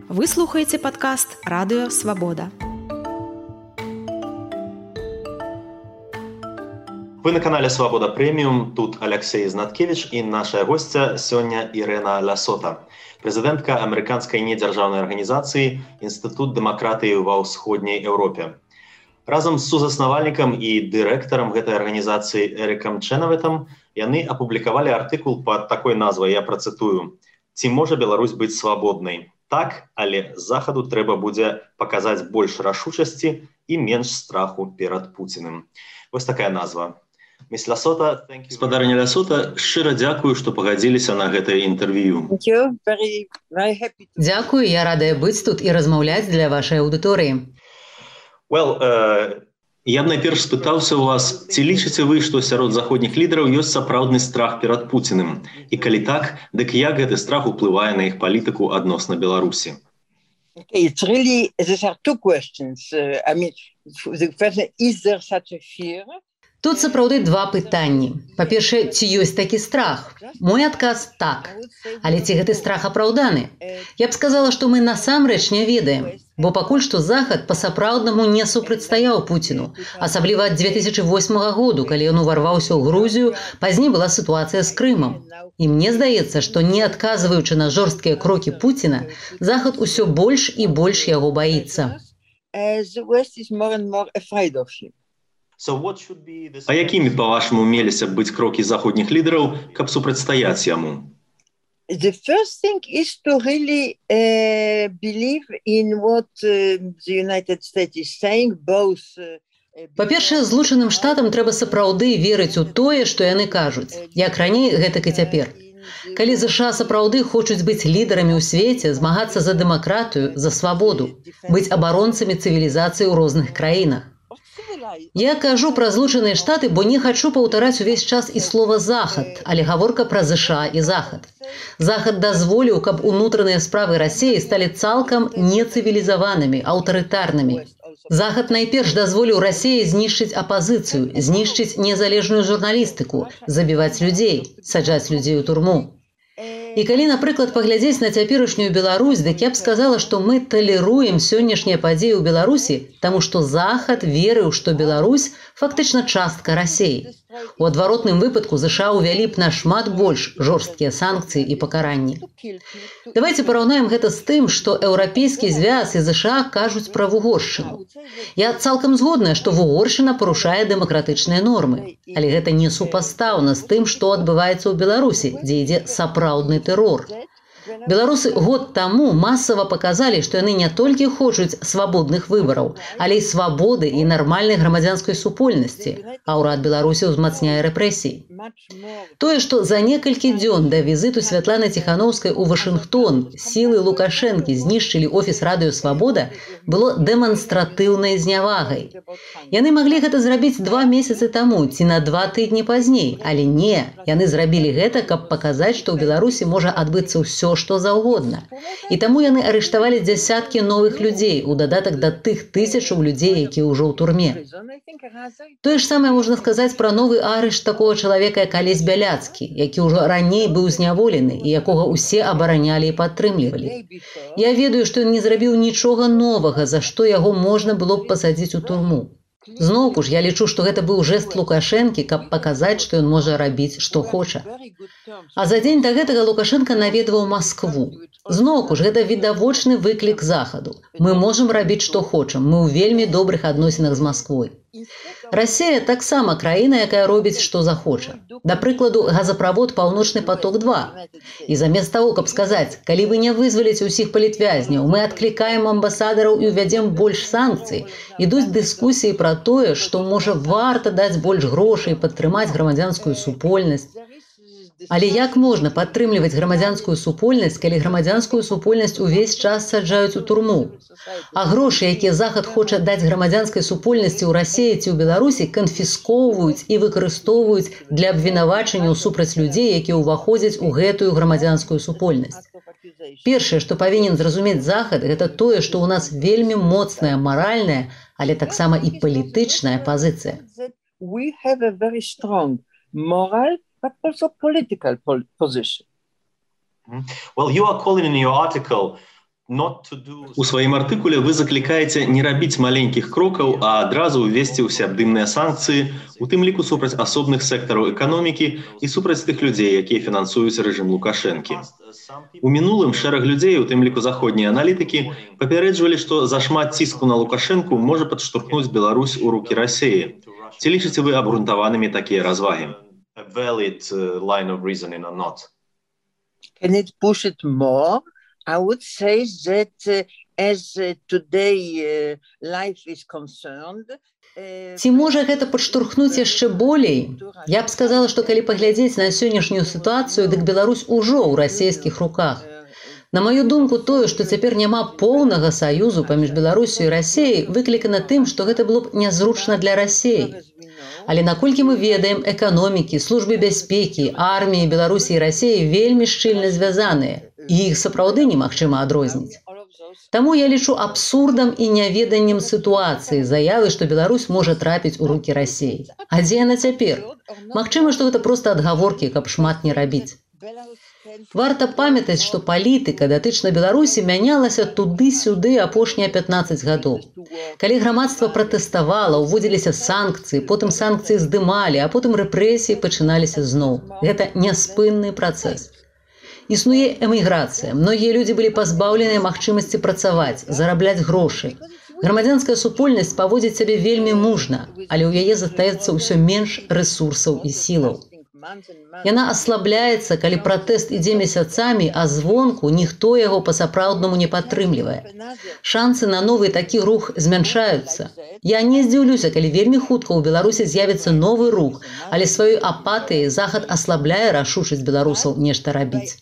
Вы слухаеце падкаст «Радыё Свабода». Вы на канале «Свабода Прэміум». Тут Алексей Знаткевич і наша госця сёння Ірына Лясота, прэзідэнтка амерыканскай недзяржаўнай арганізацыі «Інстытут дэмакратыі ва ўсходняй Еўропе». Разам з сузаснавальнікам і дырэктарам гэтай арганізацыі Эрыкам Чэнавэтам яны апублікавалі артыкул пад такой назвай, я працытую: «Ці можа Беларусь быць свабоднай? Так, але захаду трэба будзе паказаць больш рашучасці і менш страху перад Пуціным». Вось такая назва. Спадарыня Лясота, шчыра дзякую, што пагадзіліся на гэтае інтэрв'ю. Дзякую, я радая быць тут і размаўляць для вашай аўдыторыі. Я б найперш спытаўся ў вас, ці лічыце вы, што сярод заходніх лідараў ёсць сапраўдны страх перад Пуціным? І калі так, дык як гэты страх уплывае на іх палітыку адносна Беларусі? It's really, these are two questions. The question, is there such a fear? Тут сапраўды два пытанні. Па-першае, ці ёсць такі страх? Мой адказ – так. Але ці гэты страх апраўданы? Я б сказала, што мы насамрэч не ведаем. Бо пакуль што Захад па-сапраўднаму не супрацьстаяў Пуціну. Асабліва ад 2008 году, калі ён уварваўся ў Грузію, пазней была сітуацыя з Крымам. І мне здаецца, што не адказваючы на жорсткія крокі Пуціна, Захад усё больш і больш яго баіцца. А якімі, па-вашаму, меліся б быць крокі заходніх лідараў, каб супрацьстаяць яму? The first thing is to really believe in what the United States is saying, both. Па-першае, Злучаным Штатам трэба сапраўды верыць у тое, што яны кажуць, як раней, гэтак і цяпер. Калі ЗША сапраўды хочуць быць лідарамі ў свеце, змагацца за дэмакратыю, за свабоду, быць абаронцамі цывілізацыі ў розных краінах. Я кажу пра Злучаныя Штаты, бо не хачу паўтараць увесь час і слова «Захад», але гаворка пра ЗША і Захад. Захад дазволіў, каб унутраныя справы Расіі сталі цалкам нецывілізаванымі, аўтарытарнымі. Захад найперш дазволіў Расіі знішчыць апазіцыю, знішчыць незалежную журналістыку, забіваць людзей, саджаць людзей у турму. І калі, напрыклад, паглядзець на цяперашнюю Беларусь, дык я б сказала, што мы талеруем сённяшнія падзеі ў Беларусі, таму што Захад верыў, што Беларусь фактычна частка Расіі. У адваротным выпадку ЗША ўвялі б нашмат больш жорсткія санкцыі і пакаранні. Давайце параўнаем гэта з тым, што Еўрапейскі звяз і ЗША кажуць пра Вугоршчыну. Я цалкам згодная, што Вугоршчына парушае дэмакратычныя нормы, але гэта не супастаўна з тым, што адбываецца ў Беларусі, дзе ідзе сапраўдны тэрор. Беларусы год таму масава паказалі, што яны не толькі хочуць свабодных выбараў, але і свабоды і нармальнай грамадзянскай супольнасці, а ўрад Беларусі ўзмацняе рэпрэсіі. Тое, што за некалькі дзён да візіту Святланы Ціханаўскай у Вашынгтон сілы Лукашэнкі знішчылі офіс «Радыё Свабода», было дэманстратыўнай знявагай. Яны маглі гэта зрабіць 2 месяцы таму ці на 2 тыдні пазней, але не, яны зрабілі гэта, каб паказаць, што ў Беларусі можа адбыцца ўсё, што заўгодна. І таму яны арыштавалі дзясяткі новых людзей, у дадатак да тых тысячаў людзей, якія ўжо ў турме. Тое ж самае можна сказаць пра новы арышт такога чалавека, як Алесь Бяляцкі, які ўжо раней быў зняволены і якога ўсе абаранялі і падтрымлівалі. Я ведаю, што ён не зрабіў нічога новага, за што яго можна было б пасадзіць у турму. Зноўку ж, я лічу, што гэта быў жэст Лукашэнкі, каб паказаць, што ён можа рабіць, што хоча. А за дзень да гэтага Лукашенка наведваў Маскву. Зноўку ж, гэта відавочны выклік Захаду. Мы можам рабіць, што хочам. Мы ў вельмі добрых адносінах з Масквой. Расія таксама краіна, якая робіць, што захоча. Да прыкладу, газаправод «Паўночны поток-2». І замест таго, каб сказаць, калі вы не вызваліце ўсіх палітвязняў, мы адклікаем амбасадараў і ўвядзем больш санкцый, ідуць дыскусіі пра тое, што, можа, варта даць больш грошай, падтрымаць грамадзянскую супольнасць. Але як можна падтрымліваць грамадзянскую супольнасць, калі грамадзянскую супольнасць увесь час саджаюць у турму? А грошы, якія Захад хоча даць грамадзянскай супольнасці ў Расіі ці ў Беларусі, канфіскоўваюць і выкарыстоўваюць для абвінавачанняў супраць людзей, якія ўваходзяць у гэтую грамадзянскую супольнасць. Першае, што павінен зразумець Захад, гэта тое, што ў нас вельмі моцная маральная, але таксама і палітычная пазіцыя. We have a very strong moral but also political position. Well, you are calling in your article У сваім артыкуле вы заклікаеце не рабіць маленькіх крокаў, а адразу ўвесці ўсеабдымныя санкцыі, у тым ліку супраць асобных сектараў эканомікі і супраць тых людзей, якія фінансуюць рэжым Лукашэнкі. У мінулым шэраг людзей, у тым ліку заходнія аналітыкі, папярэджвалі, што зашмат ціску на Лукашэнку можа падштурхнуць Беларусь у рукі Расіі. Ці лічыце вы абгрунтаванымі такія развагі? Can it push it more? I would say that as today life is concerned, Ці можа гэта падштурхнуць яшчэ болей? Я б сказала, што калі паглядзець на сённяшнюю сітуацыю, дык Беларусь ужо ў расійскіх руках. На маю думку, тое, што цяпер няма поўнага саюзу паміж Беларусю і Расіяй, выклікана тым, што гэта было б нязручна для Расіі. Але наколькі мы ведаем, эканомікі, службы бяспекі, арміі Беларусі і Расіі вельмі шчыльна звязаныя, і іх сапраўды немагчыма адрозніць. Таму я лічу абсурдам і няведаннем сітуацыі заявы, што Беларусь можа трапіць у рукі Расіі. А дзе яна цяпер? Магчыма, што гэта проста адгаворкі, каб шмат не рабіць. Варта памятаць, што палітыка датычна Беларусі мянялася туды-сюды апошнія 15 гадоў. Калі грамадства пратэставала, уводзіліся санкцыі, потым санкцыі здымалі, а потым рэпрэсіі пачыналіся зноў. Гэта няспынны працэс. Існуе эміграцыя. Многія людзі былі пазбаўленыя магчымасці працаваць, зарабляць грошы. Грамадзянская супольнасць паводзіць сябе вельмі мужна, але ў яе застаецца ўсё менш рэсурсаў і сілаў. Яна аслабляецца, калі пратэст ідзе месяцамі, а звонку ніхто яго па-сапраўднаму не падтрымлівае. Шансы на новы такі рух змяншаюцца. Я не здзіўлюся, калі вельмі хутка ў Беларусі з'явіцца новы рух, але сваёй апатыяй Захад аслабляе рашучасць беларусаў нешта рабіць.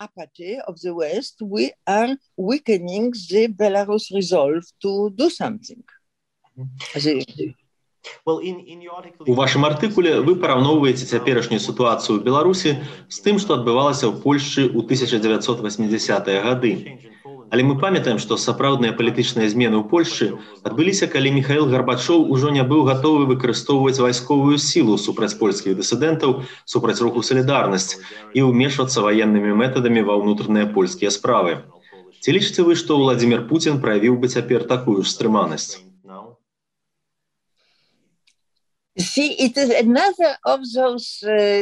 Apathy of the West, we are weakening the Belarus resolve to do something. У вашым артыкуле вы параўноўваеце цяперашнюю сітуацыю ў Беларусі з тым, што адбывалася ў Польшчы ў 1980-е гады. Але мы памятаем, што сапраўдныя палітычныя змены ў Польшчы адбыліся, калі Міхаіл Гарбачоў ужо не быў гатовы выкарыстоўваць вайсковую сілу супраць польскіх дысідэнтаў, супраць руху «Салідарнасць» і ўмешвацца ваеннымі метадамі ва ўнутраныя польскія справы. Ці лічыце вы, што Владзімір Пуцін праявіў бы цяпер такую ж стрыманасць? See, it is another of those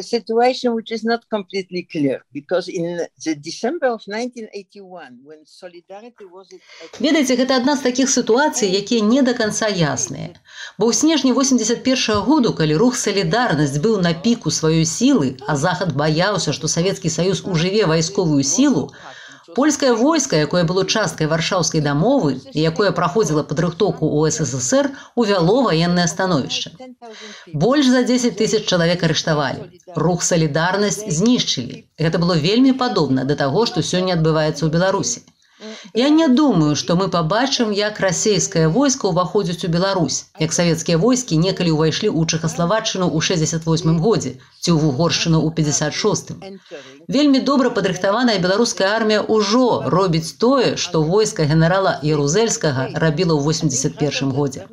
situations which is not completely clear, because in the December of 1981, when Solidarity was... Ведаеце, гэта адна з такіх сітуацый, якія не да канца ясныя. Бо ў снежні 81-го году, калі рух «Салідарнасць» быў на піку сваёй сілы, а Захад баяўся, што Савецкі Саюз ужыве вайсковую сілу, польскае войска, якое было часткай варшаўскай дамовы і якое праходзіла падрыхтоўку ў СССР, увяло ваеннае становішча. Больш за 10 000 чалавек арыштавалі. Рух «Салідарнасць» знішчылі. Гэта было вельмі падобна да таго, што сёння адбываецца ў Беларусі. Я не думаю, што мы пабачым, як расійскае войска ўваходзіць у Беларусь, як савецкія войскі некалі ўвайшлі ў Чэхаславаччыну ў 68 годзе ці ў Угоршчыну ў 56-м. Вельмі добра падрыхтаваная беларуская армія ўжо робіць тое, што войска генерала Ярузельскага рабіла ў 81 годзе.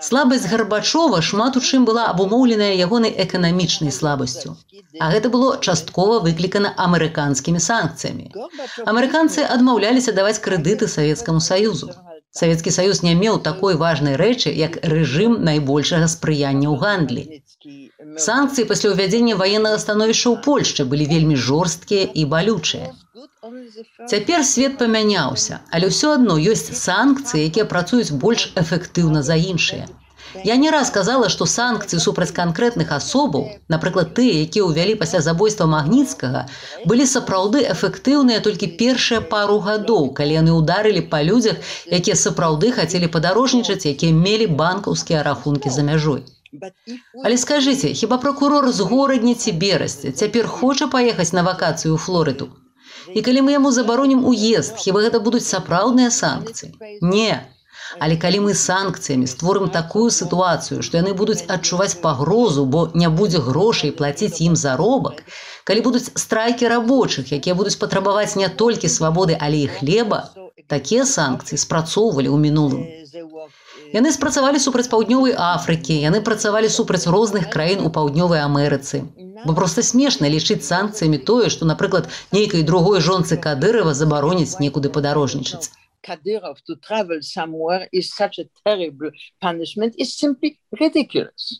Слабасць Гарбачова шмат у чым была абумоўленая ягонай эканамічнай слабасцю. А гэта было часткова выклікана амерыканскімі санкцыямі. Амерыканцы адмаўляліся даваць крэдыты Савецкаму Саюзу. Савецкі Саюз не меў такой важнай рэчы, як рэжым найбольшага спрыяння ў гандлі. Санкцыі пасля ўвядзення ваеннага становішча ў Польшчы былі вельмі жорсткія і балючыя. Цяпер свет памяняўся, але ўсё адно ёсць санкцыі, якія працуюць больш эфектыўна за іншыя. Я не раз казала, што санкцыі супраць канкрэтных асобаў, напрыклад, тыя, якія ўвялі пасля забойства Магніцкага, былі сапраўды эфектыўныя толькі першыя пару гадоў, калі яны ўдарылі па людзях, якія сапраўды хацелі падарожнічаць, якія мелі банкаўскія рахункі за мяжой. Але скажыце, хіба пракурор з Горадні ці Берасці цяпер хоча паехаць на вакацыю ў Флорыду? І калі мы яму забаронім уезд, хіба гэта будуць сапраўдныя санкцыі? Не. Але калі мы санкцыямі створым такую сітуацыю, што яны будуць адчуваць пагрозу, бо не будзе грошай плаціць ім заробак, калі будуць страйкі рабочых, якія будуць патрабаваць не толькі свабоды, але і хлеба, такія санкцыі спрацоўвалі ў мінулым. Яны спрацавалі супраць Паўднёвай Афрыкі, яны працавалі супраць розных краін у Паўднёвай Амерыцы. Бо проста смешна лічыць санкцыямі тое, што, напрыклад, нейкай другой жонцы Кадырова забароніць некуды падарожнічаць. Kadyrov to travel somewhere is such a terrible punishment is simply ridiculous.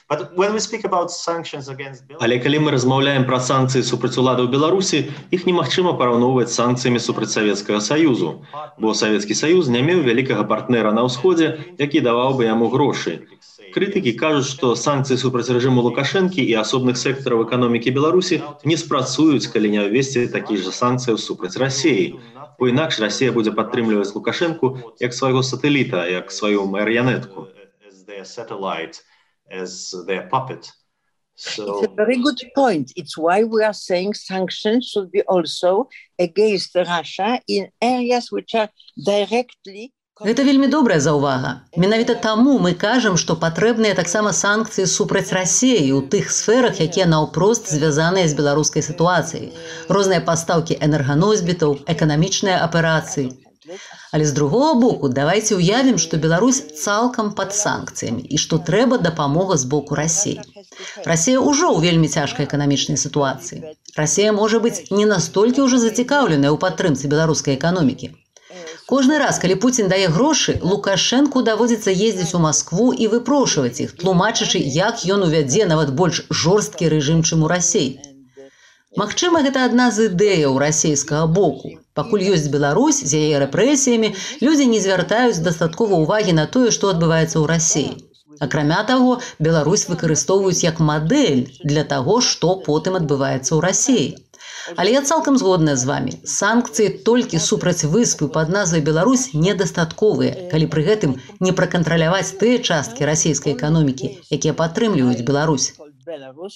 But when we speak about sanctions against Belarus... Але калі мы размаўляем пра санкцыі супраць уладаў Беларусі, іх немагчыма параўноўваць з санкцыямі супраць Савецкага Саюзу, бо Савецкі Саюз не меў вялікага партнера на ўсходзе, які даваў бы яму грошы. Крытыкі кажуць, што санкцыі супраць рэжыму Лукашэнкі і асобных сектараў эканомікі Беларусі не спрацуюць, калі не ўвесці такіх жа санкцыяў супраць Расіі. Бо інакш Расія будзе падтрымліваць Лукашэнку як свайго сатэліта, як сваю марыянетку. It's a very good point. It's why we are saying sanctions should be also against Russia in areas which are directly... Гэта вельмі добрая заўвага. Менавіта таму мы кажам, што патрэбныя таксама санкцыі супраць Расіі ў тых сферах, якія наўпрост звязаныя з беларускай сітуацыяй. Розныя пастаўкі энерганосьбітаў, эканамічныя аперацыі. Але з другого боку, давайце ўявім, што Беларусь цалкам пад санкцыямі і што трэба дапамога з боку Расіі. Расія ўжо ў вельмі цяжкай эканамічнай сітуацыі. Расія можа быць не настолькі ўжо зацікаўленая ў падтрымцы беларускай эканомікі. Кожны раз, калі Пуцін дае грошы, Лукашэнку даводзіцца ездзіць у Маскву і выпрошваць іх, тлумачачы, як ён увядзе нават больш жорсткі рэжым, чым у Расіі. Магчыма, гэта адна з ідэяў расійскага боку. Пакуль ёсць Беларусь з яе рэпрэсіямі, людзі не звяртаюць дастаткова ўвагі на тое, што адбываецца ў Расіі. Акрамя таго, Беларусь выкарыстоўваюць як мадэль для таго, што потым адбываецца ў Расіі. Але я цалкам згодная з вамі. Санкцыі толькі супраць выспы пад назвай Беларусь недастатковыя, калі пры гэтым не пракантраляваць тыя часткі расійскай эканомікі, якія падтрымліваюць Беларусь.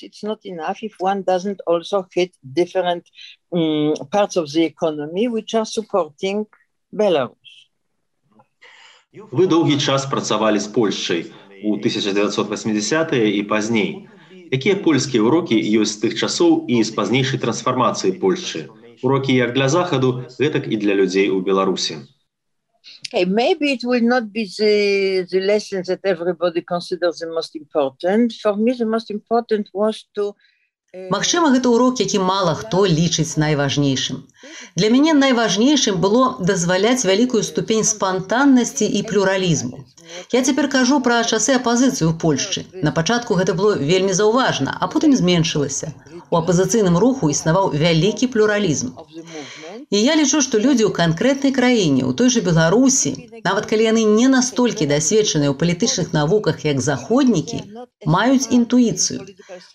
It's not enough if one doesn't also hit different parts of the economy which are supporting Belarus. Вы доўгі час працавалі з Польшчай у 1980-е і пазней. Якія польскія урокі ёсць з тых часоў і з пазнейшай трансфармацыі Польшчы? Урокі як для Захаду, гэтак і для людзей у Беларусі. Maybe it will not be the lessons that everybody considers the most important. For me, the most important was to... Магчыма, гэта урок, які мала хто лічыць найважнейшым. Для мяне найважнейшым было дазваляць вялікую ступень спантаннасці і плюралізму. Я цяпер кажу пра часы апазіцыі ў Польшчы. На пачатку гэта было вельмі заўважна, а потым зменшылася. У апазіцыйным руху існаваў вялікі плюралізм. І я лічу, што людзі ў канкрэтнай краіне, у той жа Беларусі, нават калі яны не настолькі дасведчаныя ў палітычных навуках, як заходнікі, маюць інтуіцыю.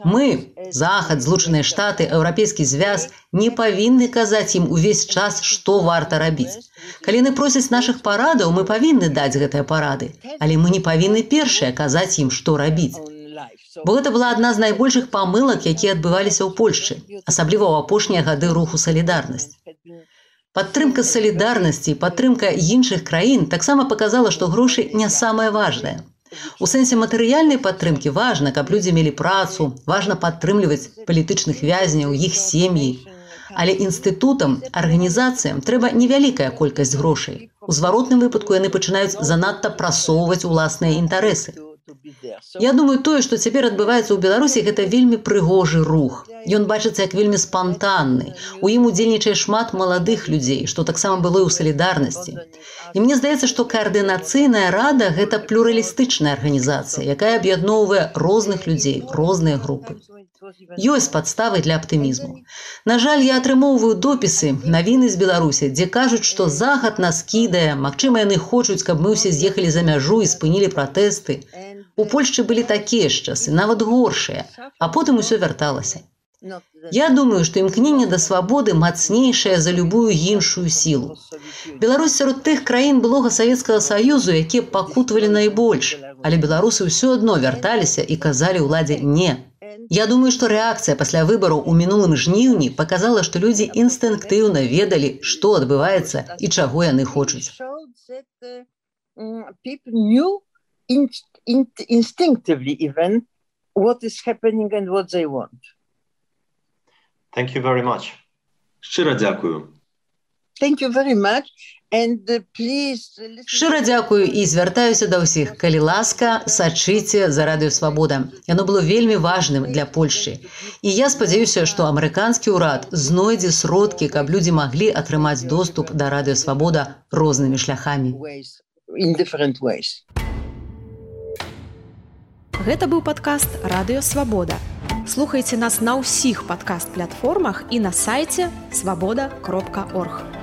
Мы, Захад, Злучаныя Штаты, Еўрапейскі звяз, не павінны казаць ім увесь час, што варта рабіць. Калі яны просяць нашых парадаў, мы павінны даць гэтыя парады, але мы не павінны першыя казаць ім, што рабіць. Бо гэта была адна з найбольшых памылак, якія адбываліся ў Польшчы, асабліва ў апошнія гады руху «Салідарнасць». Падтрымка салідарнасці і падтрымка іншых краін таксама паказала, што грошы не самае важнае. У сэнсе матэрыяльнай падтрымкі важна, каб людзі мелі працу, важна падтрымліваць палітычных вязняў, іх сем'і. Але інстытутам, арганізацыям трэба невялікая колькасць грошай. У зваротным выпадку яны пачынаюць занадта прасоўваць уласныя інтарэсы. Я думаю, тое, што цяпер адбываецца ў Беларусі, гэта вельмі прыгожы рух. Ён бачыцца як вельмі спантанны. У ім удзельнічае шмат маладых людзей, што таксама было і ў салідарнасці. І мне здаецца, што каардынацыйная рада – гэта плюралістычная арганізацыя, якая аб'ядноўвае розных людзей, розныя групы. Ёсць падставы для аптымізму. На жаль, я атрымоўваю допісы, навіны з Беларусі, дзе кажуць, што Захад нас кідае, магчыма, яны хочуць, каб мы ўсе з'ехалі за мяжу і спынілі пратэсты. У Польшчы былі такія ж часы, нават горшыя, а потым усё вярталася. Я думаю, што імкненне да свабоды мацнейшае за любую іншую сілу. Беларусь сярод тых краін былога Савецкага Саюзу, якія пакутавалі найбольш, але беларусы ўсё адно вярталіся і казалі ўладзе «не». Я думаю, што рэакцыя пасля выбараў у мінулым жніўні паказала, што людзі інстынктыўна ведалі, што адбываецца і чаго яны хочуць. Instinctively even what is happening and what they want. Thank you very much. Шчыра дзякую. Thank you very much. And please... Шчыра дзякую і звяртаюся да ўсіх. Калі ласка, сачыце за Радыё Свабода. Яно было вельмі важным для Польшчы. І я спадзяюся, што амерыканскі ўрад знойдзе сродкі, каб людзі маглі атрымаць доступ да Радыё Свабода рознымі шляхамі. Гэта быў падкаст Радыё Свабода. Слухайце нас на ўсіх падкаст-платформах і на сайце свабода.орг.